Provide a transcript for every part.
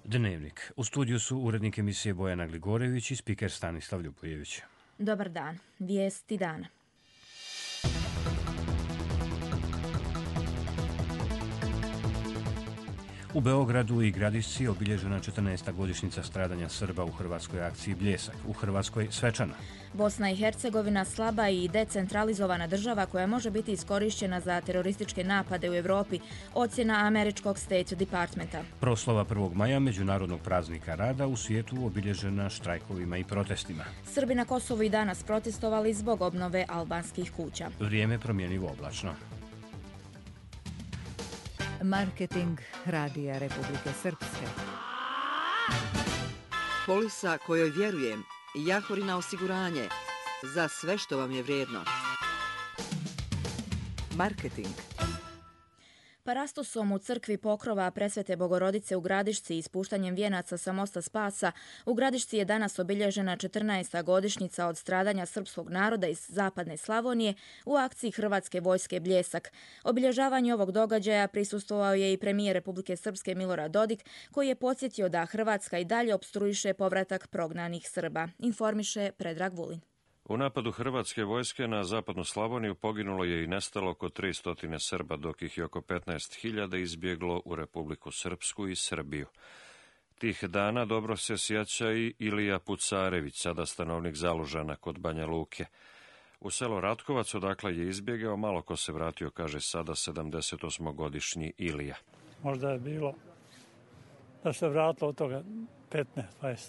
Dnevnik. U studiju su urednik emisije Bojana Gligorević i spiker Stanislav Ljubojević. Dobar dan. Vijesti dana. U Beogradu i Gradišci obilježena 14. godišnjica stradanja Srba u hrvatskoj akciji Bljesak, u Hrvatskoj svečana. Bosna i Hercegovina slaba i decentralizovana država koja može biti iskorišćena za terorističke napade u Europi, ocjena američkog State Departmenta. Proslava 1. maja, međunarodnog praznika rada, u svijetu obilježena štrajkovima i protestima. Srbi na Kosovu i danas protestovali zbog obnove albanskih kuća. Vrijeme promjenjivo oblačno. Marketing Radija Republike Srpske. Polisa kojoj vjerujem, Jahorina osiguranje, za sve što vam je vrijedno. Marketing. Parastosom u crkvi pokrova Presvete Bogorodice u Gradišci i ispuštanjem vijenaca sa mosta Spasa, u Gradišci je danas obilježena 14. godišnjica od stradanja srpskog naroda iz zapadne Slavonije u akciji Hrvatske vojske Bljesak. Obilježavanju ovog događaja prisustvovao je i premijer Republike Srpske Milorad Dodik, koji je podsjetio da Hrvatska i dalje opstruiše povratak prognanih Srba. Informiše Predrag Vulin. U napadu hrvatske vojske na zapadnu Slavoniju poginulo je i nestalo oko 300 Srba, dok ih je oko 15.000 izbjeglo u Republiku Srpsku i Srbiju. Tih dana dobro se sjeća i Ilija Pucarević, sada stanovnik Zalužana kod Banja Luke. U selo Ratkovac, odakle je izbjegao, malo ko se vratio, kaže sada 78-godišnji Ilija. Možda je bilo da se vratilo od toga 15-20.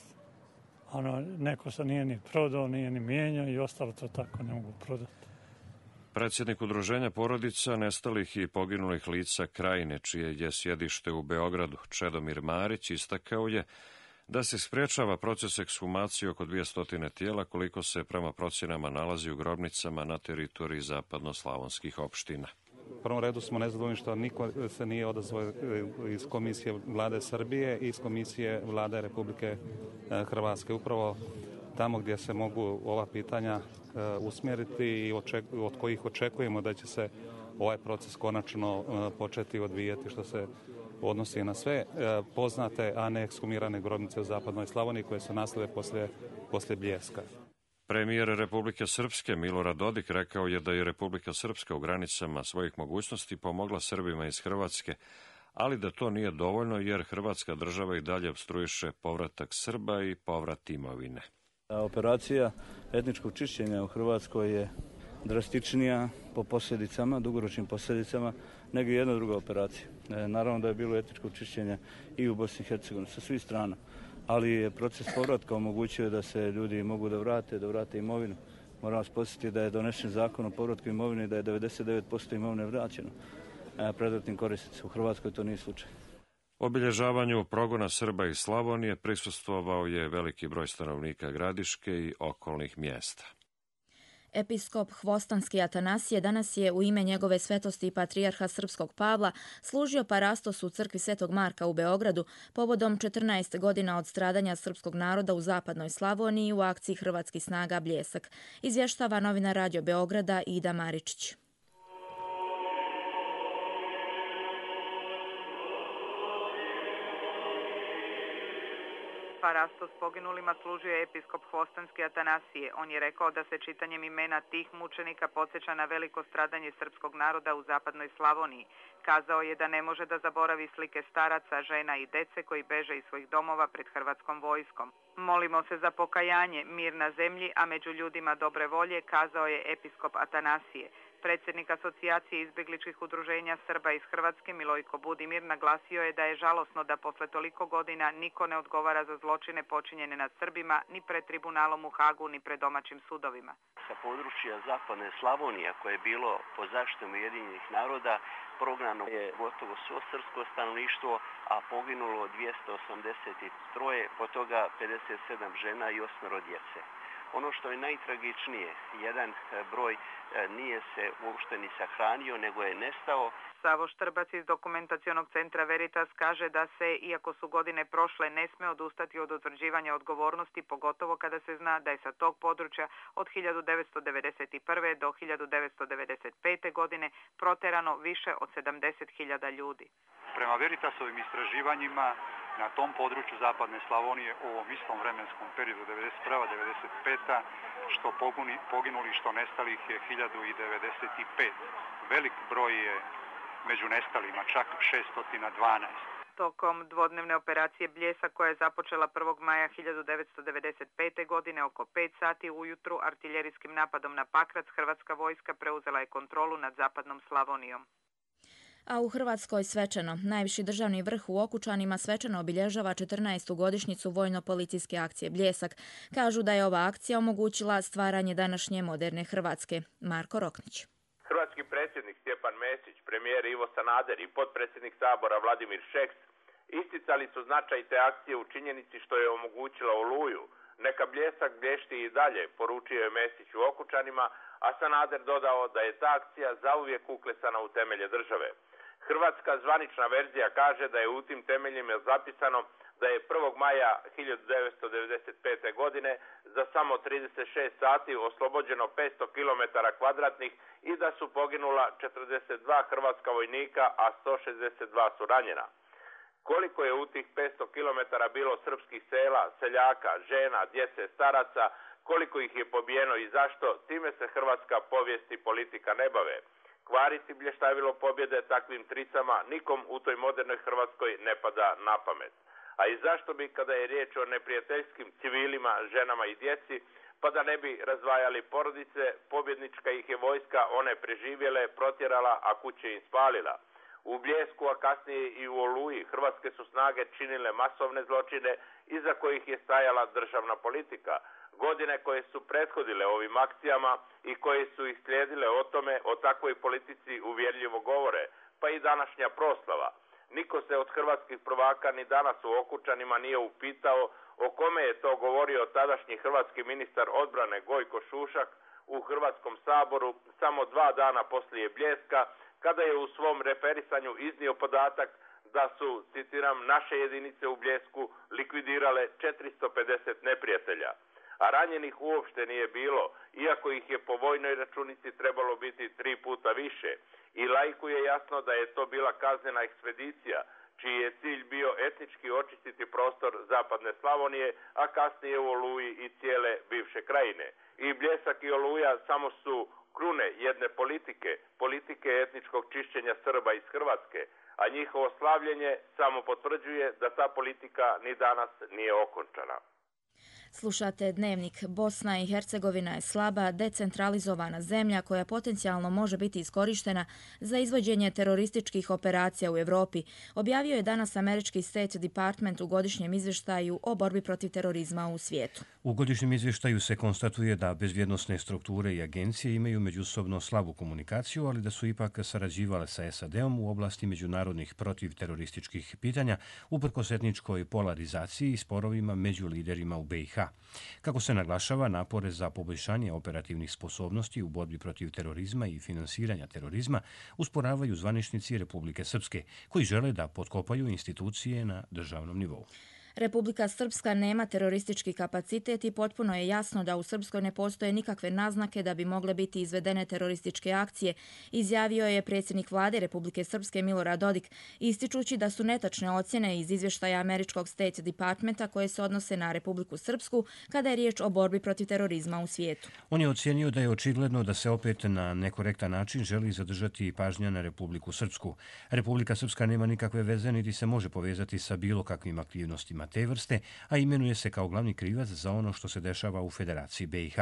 Neko se nije ni prodao, nije ni mijenjao i ostalo to tako ne mogu prodati. Predsjednik udruženja porodica nestalih i poginulih lica Krajine, čije je sjedište u Beogradu, Čedomir Marić, istakao je da se sprječava proces ekshumacije oko 200 tijela, koliko se prema procjenama nalazi u grobnicama na teritoriji zapadnoslavonskih opština. U prvom redu smo nezadovoljni što niko se nije odazvao iz Komisije Vlade Srbije i iz Komisije Vlade Republike Hrvatske. Upravo tamo gdje se mogu ova pitanja usmjeriti i od kojih očekujemo da će se ovaj proces konačno početi odvijati, što se odnosi na sve poznate, a ne ekshumirane grobnice u zapadnoj Slavoniji koje su nastale poslije Bljeska. Premijer Republike Srpske Milorad Dodik rekao je da je Republika Srpska u granicama svojih mogućnosti pomogla Srbima iz Hrvatske, ali da to nije dovoljno jer Hrvatska država i dalje opstruiše povratak Srba i povrat imovine. Operacija etničkog čišćenja u Hrvatskoj je drastičnija po posljedicama, dugoročnim posljedicama, nego jedna druga operacija. Naravno da je bilo etničko čišćenje i u Bosni i Hercegovini sa svih strana, ali je proces povratka omogućio da se ljudi mogu da vrate imovinu. Moram vas podsjetiti da je donesen zakon o povratku imovine i da je 99% imovine vraćeno predratnim korisnicima. U Hrvatskoj to nije slučaj. Obilježavanju progona Srba iz Slavonije prisustvovao je veliki broj stanovnika Gradiške i okolnih mjesta. Episkop Hvostanski Atanasije danas je u ime njegove svetosti i patrijarha srpskog Pavla služio parastos u crkvi Svetog Marka u Beogradu povodom 14 godina od stradanja srpskog naroda u zapadnoj Slavoniji u akciji Hrvatskih snaga Bljesak. Izvještava novinar Radio Beograda Ida Maričić. Parastos poginulima služio je episkop Hvostanski Atanasije. On je rekao da se čitanjem imena tih mučenika podsjeća na veliko stradanje srpskog naroda u zapadnoj Slavoniji. Kazao je da ne može da zaboravi slike staraca, žena i dece koji beže iz svojih domova pred hrvatskom vojskom. Molimo se za pokajanje, mir na zemlji, a među ljudima dobre volje, kazao je episkop Atanasije. Predsjednik asocijacije izbjegličkih udruženja Srba iz Hrvatske Milojko Budimir naglasio je da je žalosno da posle toliko godina niko ne odgovara za zločine počinjene nad Srbima ni pred tribunalom u Hagu ni pred domaćim sudovima. Sa područja zapadne Slavonije koje je bilo pod zaštitom Ujedinjenih naroda prognano je gotovo svo srpsko stanovništvo, a poginulo 283, po toga 57 žena i 8 djece. Ono što je najtragičnije, jedan broj nije se uopšte ni sahranio, nego je nestao. Savo Štrbac iz dokumentacionog centra Veritas kaže da se, iako su godine prošle, ne sme odustati od utvrđivanja odgovornosti, pogotovo kada se zna da je sa tog područja od 1991. do 1995. godine proterano više od 70.000 ljudi. Prema Veritasovim istraživanjima na tom području zapadne Slavonije u ovom istom vremenskom periodu 1991-1995, što poginuli, što nestalih je 1095. Velik broj je među nestalima, čak 612. Tokom dvodnevne operacije Bljesak koja je započela 1. maja 1995. godine oko 5 sati ujutru artiljerijskim napadom na Pakrac, hrvatska vojska preuzela je kontrolu nad zapadnom Slavonijom. A u Hrvatskoj svečano. Najviši državni vrh u Okučanima svečano obilježava 14. godišnjicu vojno-policijske akcije Bljesak. Kažu da je ova akcija omogućila stvaranje današnje moderne Hrvatske. Marko Roknić. Hrvatski predsjednik Stjepan Mesić, premijer Ivo Sanader i potpredsjednik Sabora Vladimir Šeks isticali su značaj te akcije u činjenici što je omogućila Oluju. Neka Bljesak blješti i dalje, poručio je Mesić u Okučanima, a Sanader dodao da je ta akcija zauvijek uklesana u temelje države. Hrvatska zvanična verzija kaže da je u tim temeljima zapisano da je 1. maja 1995. godine za samo 36 sati oslobođeno 500 km kvadratnih i da su poginula 42 hrvatska vojnika, a 162 su ranjena. Koliko je u tih 500 km bilo srpskih sela, seljaka, žena, djece, staraca, koliko ih je pobijeno i zašto, time se hrvatska povijest i politika ne bave. Kvariti blještavilo pobjede takvim tricama nikom u toj modernoj Hrvatskoj ne pada na pamet. A i zašto bi, kada je riječ o neprijateljskim civilima, ženama i djeci, pa da ne bi razdvajali porodice, pobjednička ih je vojska one preživjele, protjerala, a kuće im spalila. U Bljesku, a kasnije i u Oluji, hrvatske su snage činile masovne zločine iza kojih je stajala državna politika. Godine koje su prethodile ovim akcijama i koje su ih slijedile o tome, o takvoj politici uvjerljivo govore, pa i današnja proslava. Niko se od hrvatskih prvaka ni danas u Okučanima nije upitao o kome je to govorio tadašnji hrvatski ministar odbrane Gojko Šušak u Hrvatskom saboru samo 2 dana poslije Bljeska, kada je u svom referisanju iznio podatak da su, citiram, naše jedinice u Bljesku likvidirale 450 neprijatelja. A ranjenih uopšte nije bilo, iako ih je po vojnoj računici trebalo biti 3 puta više. I laiku je jasno da je to bila kaznena ekspedicija, čiji je cilj bio etnički očistiti prostor zapadne Slavonije, a kasnije u Oluji i cijele bivše krajine. I Bljesak i Oluja samo su krune jedne politike etničkog čišćenja Srba iz Hrvatske, a njihovo slavljenje samo potvrđuje da ta politika ni danas nije okončana. Slušate Dnevnik. Bosna i Hercegovina je slaba, decentralizovana zemlja koja potencijalno može biti iskorištena za izvođenje terorističkih operacija u Europi, objavio je danas američki State Department u godišnjem izvještaju o borbi protiv terorizma u svijetu. U godišnjem izvještaju se konstatuje da bezbjednosne strukture i agencije imaju međusobno slabu komunikaciju, ali da su ipak sarađivale sa SAD-om u oblasti međunarodnih protivterorističkih pitanja, uprkos etničkoj polarizaciji i sporovima među liderima u BiH. Kako se naglašava, napore za poboljšanje operativnih sposobnosti u borbi protiv terorizma i finansiranja terorizma usporavaju zvaničnici Republike Srpske, koji žele da potkopaju institucije na državnom nivou. Republika Srpska nema teroristički kapacitet i potpuno je jasno da u Srpskoj ne postoje nikakve naznake da bi mogle biti izvedene terorističke akcije, izjavio je predsjednik vlade Republike Srpske Milorad Dodik, ističući da su netačne ocjene iz izvještaja američkog State Departmenta koje se odnose na Republiku Srpsku kada je riječ o borbi protiv terorizma u svijetu. On je ocijenio da je očigledno da se opet na nekorektan način želi zadržati pažnja na Republiku Srpsku. Republika Srpska nema nikakve veze niti se može povezati sa bilo kakvim aktivnostima te vrste, a imenuje se kao glavni krivac za ono što se dešava u Federaciji BiH.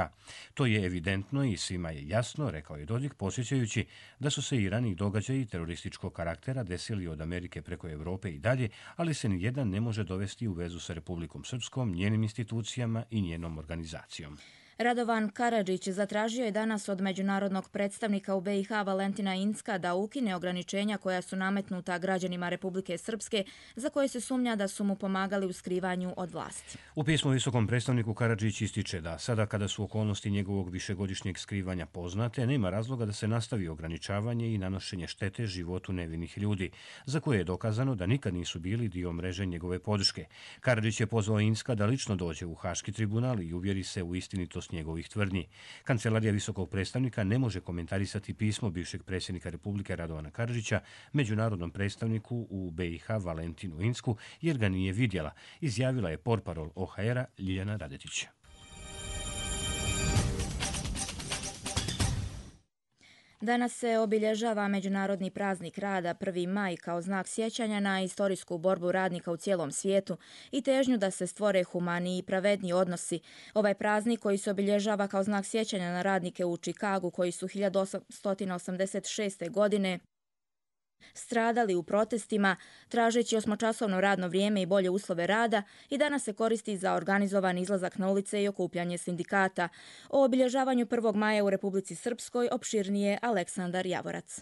To je evidentno i svima je jasno, rekao je Dodik, podsjećajući da su se i raniji događaji terorističkog karaktera desili od Amerike preko Europe i dalje, ali se nijedan ne može dovesti u vezu sa Republikom Srpskom, njenim institucijama i njenom organizacijom. Radovan Karadžić zatražio je danas od međunarodnog predstavnika u BiH Valentina Incka da ukine ograničenja koja su nametnuta građanima Republike Srpske, za koje se sumnja da su mu pomagali u skrivanju od vlasti. U pismu visokom predstavniku Karadžić ističe da sada kada su okolnosti njegovog višegodišnjeg skrivanja poznate, nema razloga da se nastavi ograničavanje i nanošenje štete životu nevinih ljudi, za koje je dokazano da nikad nisu bili dio mreže njegove podrške. Karadžić je pozvao Incka da lično dođe u Haški tribunal i uvjeri se u istinitost istinitost njegovih tvrdnji. Kancelarija visokog predstavnika ne može komentarisati pismo bivšeg predsjednika Republike Radovana Karadžića međunarodnom predstavniku u BiH Valentinu Insku jer ga nije vidjela, izjavila je portparol OHR-a Ljiljana Radetić. Danas se obilježava Međunarodni praznik rada 1. maj kao znak sjećanja na istorijsku borbu radnika u cijelom svijetu i težnju da se stvore humaniji i pravedniji odnosi. Ovaj praznik koji se obilježava kao znak sjećanja na radnike u Čikagu koji su 1886. godine stradali u protestima, tražeći 8-časovno radno vrijeme i bolje uslove rada i danas se koristi za organizovan izlazak na ulice i okupljanje sindikata. O obilježavanju 1. maja u Republici Srpskoj opširnije Aleksandar Javorac.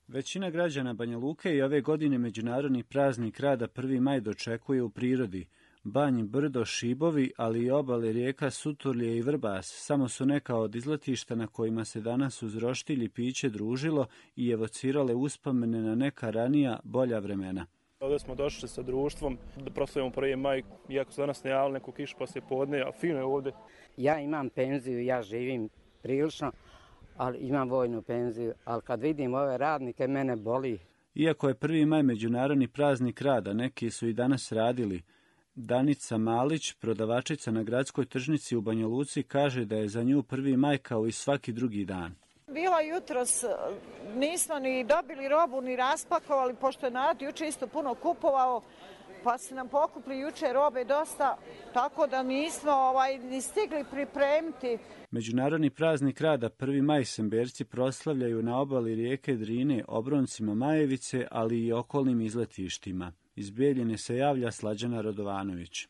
Većina građana Banja Luke i ove godine Međunarodni praznik rada 1. maj dočekuje u prirodi. Banj, brdo, šibovi, ali i obale rijeka Suturlje i Vrbas samo su neka od izletišta na kojima se danas uz roštilj i piće družilo i evocirale uspomene na neka ranija, bolja vremena. Ovdje smo došli sa društvom da proslavimo 1. maj, iako se danas najavili neku kišu poslije podne, a fino je ovdje. Ja imam penziju, ja živim prilično, ali imam vojnu penziju, ali kad vidim ove radnike, mene boli. Iako je 1. maj Međunarodni praznik rada, neki su i danas radili. Danica Malić, prodavačica na gradskoj tržnici u Banja Luci, kaže da je za nju 1. maj kao i svaki drugi dan. Bila jutros, nismo ni dobili robu, ni raspakovali, pošto je narod juče isto puno kupovao, pa se nam pokupili juče robe dosta, tako da nismo ni stigli pripremiti. Međunarodni praznik rada 1. maj Semberci proslavljaju na obali rijeke Drine, obroncima Majevice, ali i okolnim izletištima. Iz Bijeljine se javlja Slađana Radovanović.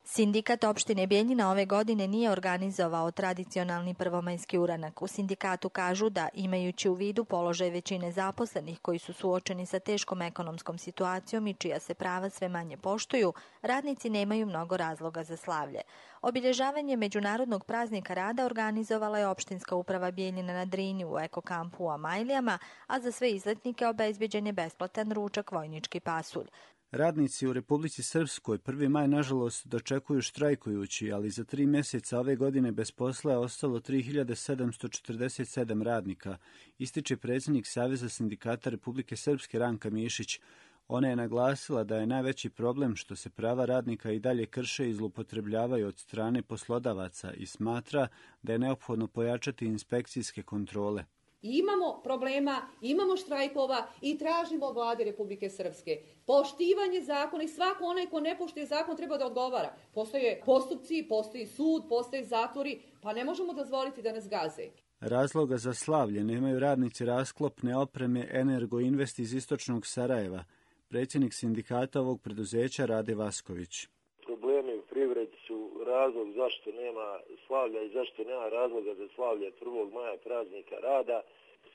Sindikat opštine Bijeljina ove godine nije organizovao tradicionalni prvomajski uranak. U sindikatu kažu da, imajući u vidu položaj većine zaposlenih koji su suočeni sa teškom ekonomskom situacijom i čija se prava sve manje poštuju, radnici nemaju mnogo razloga za slavlje. Obilježavanje Međunarodnog praznika rada organizovala je opštinska uprava Bijeljina na Drini u ekokampu u Amajlijama, a za sve izletnike obezbeđen je besplatan ručak vojnički pasulj. Radnici u Republici Srpskoj 1. maj nažalost dočekuju štrajkujući, ali za 3 mjeseca ove godine bez posla je ostalo 3747 radnika, ističe predsjednik Saveza sindikata Republike Srpske Ranka Mišić. Ona je naglasila da je najveći problem što se prava radnika i dalje krše i zloupotrebljavaju od strane poslodavaca i smatra da je neophodno pojačati inspekcijske kontrole. Imamo problema, imamo štrajkova i tražimo vlade Republike Srpske poštivanje zakona i svako onaj ko ne poštuje zakon treba da odgovara. Postoje postupci, postoji sud, postoje zatvori, pa ne možemo dozvoliti da nas gaze. Razloga za slavlje nemaju radnici rasklopne opreme Energo Invest iz istočnog Sarajeva. Predsjednik sindikata ovog preduzeća Rade Vasković. Problemi u privredi su razlog zašto nema slavlja i zašto nema razloga za slavlje 1. maja praznika rada.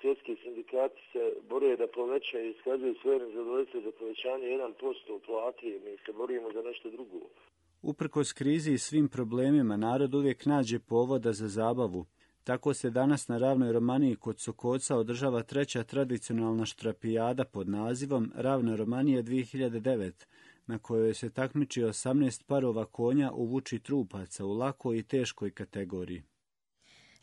Svjetski sindikati se bore da povećaju i iskazuju svoje nezadovoljstvo za povećanje 1% plati i mi se borimo za nešto drugo. Uprkos krizi i svim problemima, narod uvijek nađe povoda za zabavu. Tako se danas na Ravnoj Romaniji kod Sokoca održava 3. tradicionalna štrapijada pod nazivom Ravna Romanija 2009, na kojoj se takmiči 18 parova konja u vuči trupaca u lakoj i teškoj kategoriji.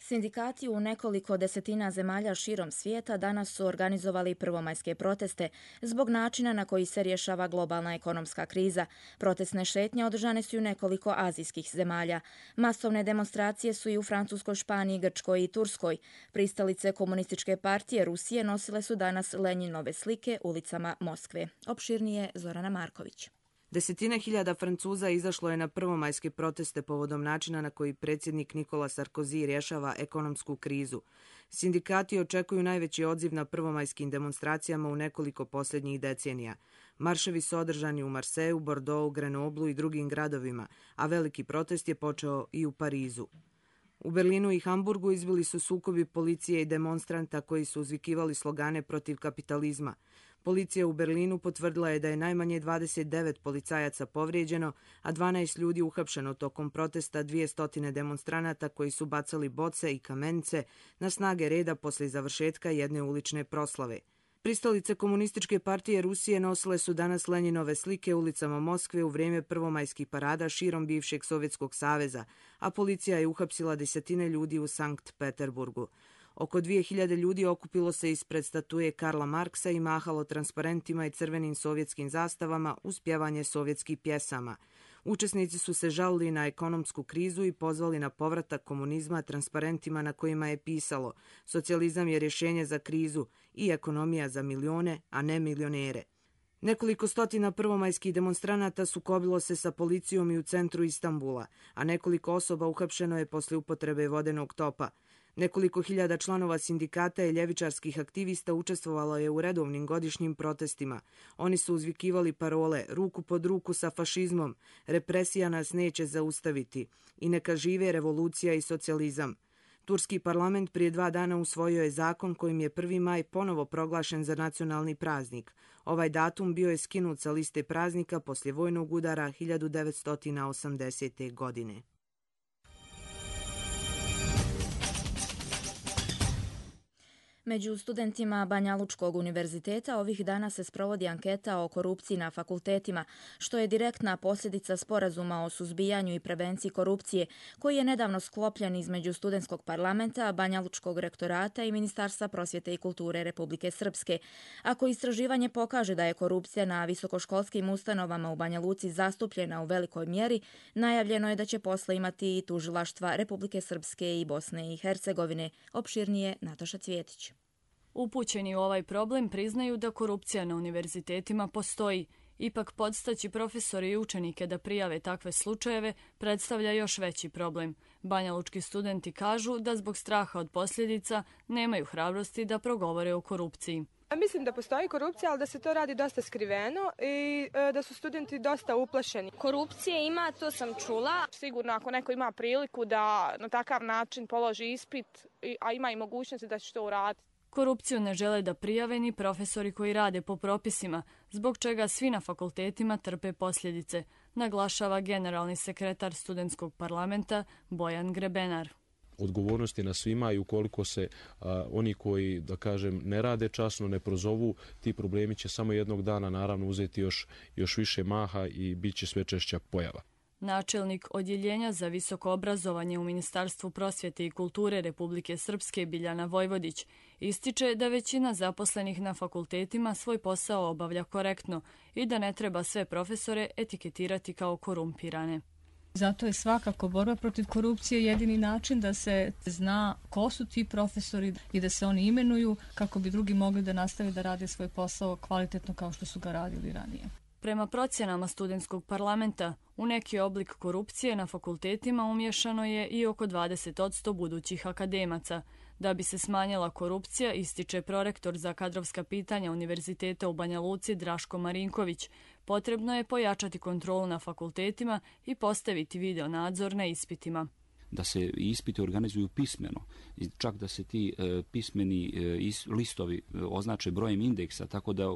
Sindikati u nekoliko desetina zemalja širom svijeta danas su organizovali prvomajske proteste zbog načina na koji se rješava globalna ekonomska kriza. Protestne šetnje održane su u nekoliko azijskih zemalja. Masovne demonstracije su i u Francuskoj, Španiji, Grčkoj i Turskoj. Pristalice komunističke partije Rusije nosile su danas Lenjinove slike ulicama Moskve. Opširnije Zorana Marković. Desetine hiljada Francuza izašlo je na prvomajske proteste povodom načina na koji predsjednik Nikola Sarkozy rješava ekonomsku krizu. Sindikati očekuju najveći odziv na prvomajskim demonstracijama u nekoliko posljednjih decenija. Marševi su održani u Marseju, Bordeauxu, Grenoblu i drugim gradovima, a veliki protest je počeo i u Parizu. U Berlinu i Hamburgu izbili su sukobi policije i demonstranta koji su uzvikivali slogane protiv kapitalizma. Policija u Berlinu potvrdila je da je najmanje 29 policajaca povrijeđeno, a 12 ljudi uhapšeno tokom protesta 200 demonstranata koji su bacali boce i kamenice na snage reda poslije završetka jedne ulične proslave. Pristalice Komunističke partije Rusije nosile su danas Lenjinove slike ulicama Moskve u vrijeme prvomajskih parada širom bivšeg Sovjetskog saveza, a policija je uhapsila desetine ljudi u Sankt Peterburgu. Oko 2000 ljudi okupilo se ispred statue Karla Marksa i mahalo transparentima i crvenim sovjetskim zastavama uz pjevanje sovjetskih pjesama. Učesnici su se žalili na ekonomsku krizu i pozvali na povratak komunizma transparentima na kojima je pisalo: socijalizam je rješenje za krizu i ekonomija za milione, a ne milionere. Nekoliko stotina prvomajskih demonstranata sukobilo se sa policijom i u centru Istanbula, a nekoliko osoba uhapšeno je poslije upotrebe vodenog topa. Nekoliko hiljada članova sindikata i ljevičarskih aktivista učestvovalo je u redovnim godišnjim protestima. Oni su uzvikivali parole ruku pod ruku sa fašizmom, represija nas neće zaustaviti i neka žive revolucija i socijalizam. Turski parlament prije 2 dana usvojio je zakon kojim je 1. maj ponovo proglašen za nacionalni praznik. Ovaj datum bio je skinut sa liste praznika poslije vojnog udara 1980. godine. Među studentima Banjalučkog univerziteta ovih dana se sprovodi anketa o korupciji na fakultetima, što je direktna posljedica sporazuma o suzbijanju i prevenciji korupcije, koji je nedavno sklopljen između studentskog parlamenta, Banjalučkog rektorata i Ministarstva prosvjete i kulture Republike Srpske. Ako istraživanje pokaže da je korupcija na visokoškolskim ustanovama u Banja Luci zastupljena u velikoj mjeri, najavljeno je da će posle imati i tužilaštva Republike Srpske i Bosne i Hercegovine. Opširnije Nataša Cvjetić. Upućeni u ovaj problem priznaju da korupcija na univerzitetima postoji. Ipak podstaći profesori i učenike da prijave takve slučajeve predstavlja još veći problem. Banjalučki studenti kažu da zbog straha od posljedica nemaju hrabrosti da progovore o korupciji. Mislim da postoji korupcija, ali da se to radi dosta skriveno i da su studenti dosta uplašeni. Korupcije ima, to sam čula. Sigurno ako neko ima priliku da na takav način položi ispit, a ima i mogućnosti da će to uraditi. Korupciju ne žele da prijave ni profesori koji rade po propisima, zbog čega svi na fakultetima trpe posljedice, naglašava generalni sekretar studentskog parlamenta Bojan Grebenar. Odgovornost je na svima i ukoliko se oni koji, da kažem, ne rade časno, ne prozovu, ti problemi će samo jednog dana naravno uzeti još više maha i bit će sve češća pojava. Načelnik Odjeljenja za visoko obrazovanje u Ministarstvu prosvjete i kulture Republike Srpske Biljana Vojvodić ističe da većina zaposlenih na fakultetima svoj posao obavlja korektno i da ne treba sve profesore etiketirati kao korumpirane. Zato je svakako borba protiv korupcije jedini način da se zna ko su ti profesori i da se oni imenuju kako bi drugi mogli da nastave da rade svoj posao kvalitetno kao što su ga radili ranije. Prema procjenama studentskog parlamenta, u neki oblik korupcije na fakultetima umješano je i oko 20% budućih akademaca. Da bi se smanjila korupcija, ističe prorektor za kadrovska pitanja Univerziteta u Banja Luci Draško Marinković, potrebno je pojačati kontrolu na fakultetima i postaviti video nadzor na ispitima. Da se ispiti organizuju pismeno, čak da se ti pismeni listovi označe brojem indeksa, tako da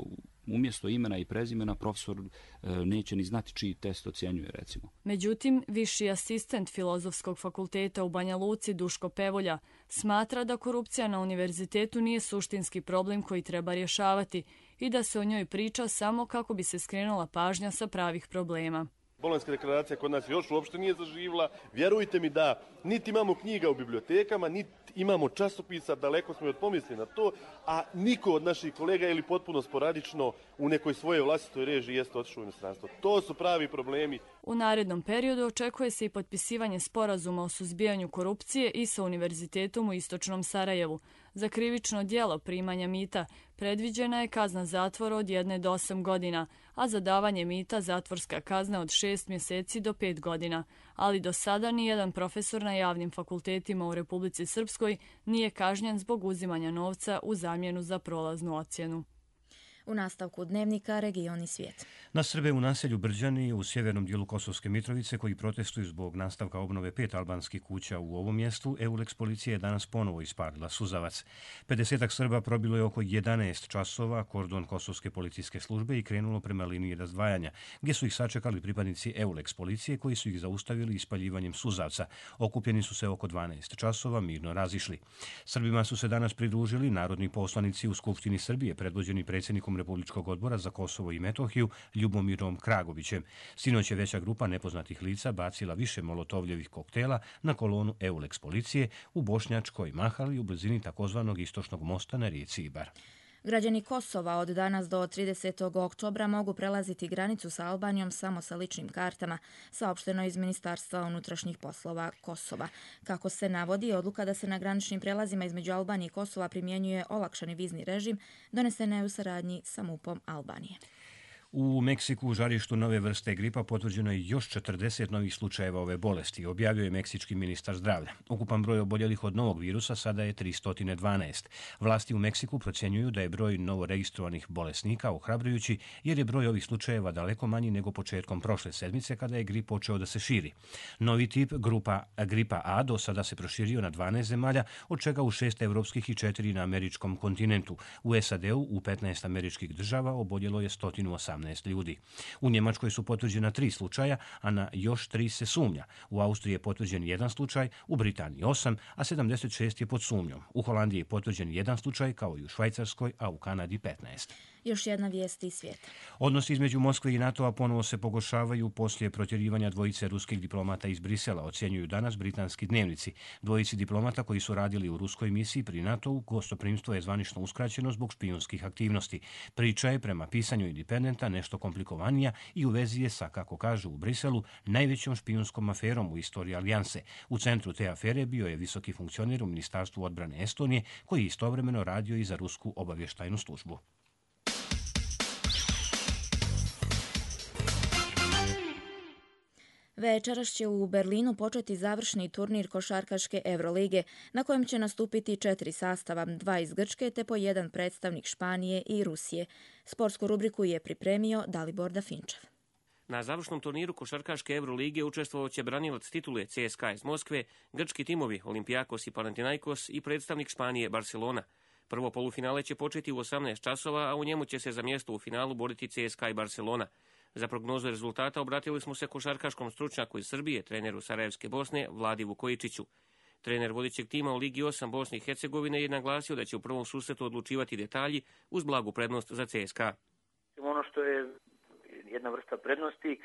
umjesto imena i prezimena profesor neće ni znati čiji test ocjenjuje, recimo. Međutim, viši asistent Filozofskog fakulteta u Banja Luci Duško Pevolja smatra da korupcija na univerzitetu nije suštinski problem koji treba rješavati i da se o njoj priča samo kako bi se skrenula pažnja sa pravih problema. Bolonjska deklaracija kod nas još uopšte nije zaživjela. Vjerujte mi da niti imamo knjiga u bibliotekama, niti imamo časopisa, daleko smo od pomisli na to, a niko od naših kolega ili potpuno sporadično u nekoj svojoj vlastitoj režiji jeste otišao u inostranstvo. To su pravi problemi. U narednom periodu očekuje se i potpisivanje sporazuma o suzbijanju korupcije i sa Univerzitetom u Istočnom Sarajevu. Za krivično djelo primanja mita predviđena je kazna zatvora od 1 do 8 godina, a za davanje mita zatvorska kazna od 6 mjeseci do 5 godina. Ali do sada nijedan profesor na javnim fakultetima u Republici Srpskoj nije kažnjen zbog uzimanja novca u zamjenu za prolaznu ocjenu. U nastavku dnevnika Region i svijet. Na Srbe u naselju Brđani u sjevernom dijelu Kosovske Mitrovice koji protestuju zbog nastavka obnove 5 albanskih kuća u ovom mjestu, EULEX policija je danas ponovo ispalila suzavac. 50 Srba probilo je oko 11 časova kordon Kosovske policijske službe i krenulo prema liniji razdvajanja, gdje su ih sačekali pripadnici EULEX policije koji su ih zaustavili ispaljivanjem suzavca. Okupljeni su se oko 12 časova mirno razišli. Srbima su se danas pridružili narodni poslanici u Skupštini Srbije, predvođeni predsjednikom Republičkog odbora za Kosovo i Metohiju, Ljubomirom Kragovićem. Sinoć je veća grupa nepoznatih lica bacila više molotovljevih koktela na kolonu EULEX policije u Bošnjačkoj Mahali u blizini takozvanog istočnog mosta na rijeci Ibar. Građani Kosova od danas do 30. oktobra mogu prelaziti granicu sa Albanijom samo sa ličnim kartama, saopšteno iz Ministarstva unutrašnjih poslova Kosova. Kako se navodi, odluka da se na graničnim prelazima između Albanije i Kosova primjenjuje olakšani vizni režim donesena je u saradnji sa MUP-om Albanije. U Meksiku u žarištu nove vrste gripa potvrđeno je još 40 novih slučajeva ove bolesti, objavio je meksički ministar zdravlja. Ukupan broj oboljelih od novog virusa sada je 312. Vlasti u Meksiku procjenjuju da je broj novoregistrovanih bolesnika ohrabrujući jer je broj ovih slučajeva daleko manji nego početkom prošle sedmice kada je grip počeo da se širi. Novi tip gripa A do sada se proširio na 12 zemalja, od čega u 6 evropskih i 4 na američkom kontinentu. U SAD-u u 15 američkih država oboljelo je 118 ljudi. U Njemačkoj su potvrđena 3 slučaja, a na još 3 se sumnja. U Austriji je potvrđen 1 slučaj, u Britaniji 8, a 76 je pod sumnjom. U Holandiji je potvrđen 1 slučaj, kao i u Švajcarskoj, a u Kanadi 15. Još jedna vijest iz svijeta. Odnosi između Moskve i NATO-a ponovo se pogoršavaju poslije protjerivanja dvojice ruskih diplomata iz Brisela, ocjenjuju danas britanski dnevnici. Dvojici diplomata koji su radili u ruskoj misiji pri NATO-u gostoprimstvo je zvanično uskraćeno zbog špijunskih aktivnosti. Priča je prema pisanju Independenta nešto komplikovanija i u vezi je sa, kako kažu u Briselu, najvećom špijunskom aferom u istoriji alijanse. U centru te afere bio je visoki funkcioner u Ministarstvu odbrane Estonije koji je istovremeno radio i za rusku obavještajnu službu. Večeras će u Berlinu početi završni turnir košarkaške Evrolige, na kojem će nastupiti 4 sastava, 2 iz Grčke te po 1 predstavnik Španije i Rusije. Sportsku rubriku je pripremio Dalibor Dafinčev. Na završnom turniru košarkaške Evrolige učestvovat će branilac titule CSKA iz Moskve, grčki timovi Olympiakos i Panathinaikos i predstavnik Španije Barcelona. Prvo polufinale će početi u 18 časova, a u njemu će se za mjesto u finalu boriti CSKA i Barcelona. Za prognozu rezultata obratili smo se košarkaškom stručnjaku iz Srbije, treneru Sarajevske Bosne, Vladi Vukojičiću. Trener vodećeg tima u Ligi 8 Bosne i Hercegovine je naglasio da će u prvom susretu odlučivati detalji uz blagu prednost za CSKA. Ono što je jedna vrsta prednosti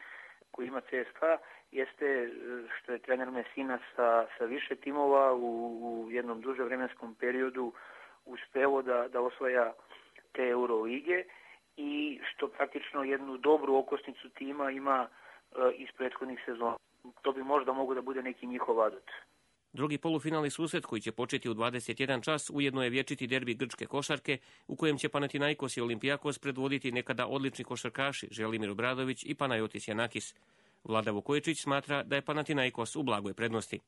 koju ima CSKA jeste što je trener Messina sa više timova u jednom duže vremenskom periodu uspeo da osvaja te Eurolige i što praktično jednu dobru okosnicu tima ima iz prethodnih sezona. To bi možda mogo da bude neki njihov adut. Drugi polufinalni susret koji će početi u 21 čas ujedno je vječiti derbi grčke košarke u kojem će Panathinaikos i Olympiakos predvoditi nekada odlični košarkaši Želimir Obradović i Panayotis Janakis. Vlada Vukojičić smatra da je Panathinaikos u blagoj prednosti.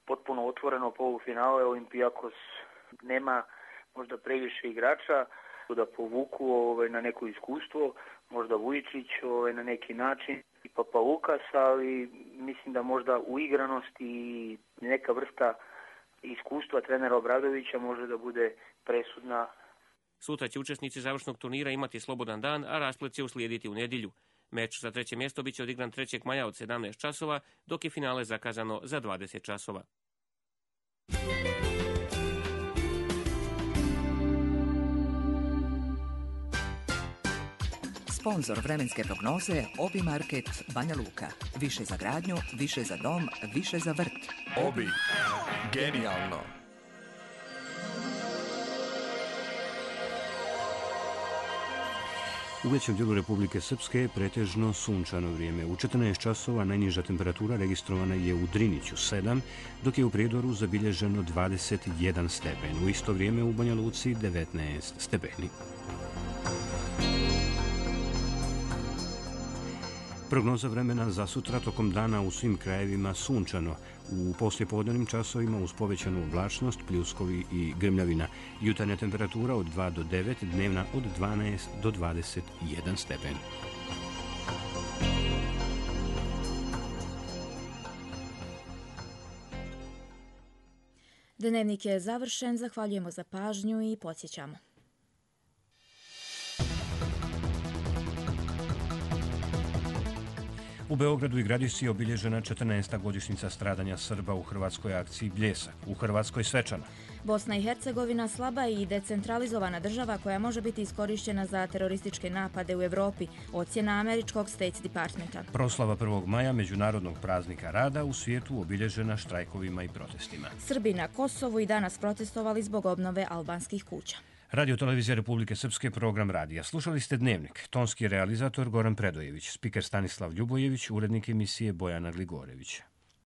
Potpuno otvoreno polufinale, Olympiakos nema možda previše igrača da povuku na neko iskustvo, možda Vujičić na neki način i Papalukas, ali mislim da možda uigranost i neka vrsta iskustva trenera Obradovića može da bude presudna. Sutra će učesnici završnog turnira imati slobodan dan, a rasplet će uslijediti u nedjelju. Meč za 3. mjesto biće odigran 3. maja od 17 časova, dok je finale zakazano za 20 časova. Sponzor vremenske prognoze Obi Market Banja Luka. Više za gradnju, više za dom, više za vrt. Obi. Genijalno. U većem dijelu Republike Srpske je pretežno sunčano vrijeme. U 14 časova najniža temperatura registrovana je u Driniću 7, dok je u Prijedoru zabilježeno 21 stepen. U isto vrijeme u Banja Luci 19 stepeni. Prognoza vremena za sutra tokom dana u svim krajevima sunčano. U poslijepodnevnim časovima uz povećanu oblačnost, pljuskovi i grmljavina. Jutarnja temperatura od 2 do 9, dnevna od 12 do 21 stepen. Dnevnik je završen, zahvaljujemo za pažnju i podsjećamo. U Beogradu i Gradišci je obilježena 14. godišnjica stradanja Srba u hrvatskoj akciji Bljesak, u Hrvatskoj svečana. Bosna i Hercegovina slaba i decentralizovana država koja može biti iskorišćena za terorističke napade u Evropi, ocjena američkog State Departmenta. Proslava 1. maja, međunarodnog praznika rada, u svijetu obilježena štrajkovima i protestima. Srbi na Kosovu i danas protestovali zbog obnove albanskih kuća. Radio Televizija Republike Srpske, program radija. Slušali ste Dnevnik. Tonski realizator Goran Predojević, spiker Stanislav Ljubojević, urednik emisije Bojana Gligorević.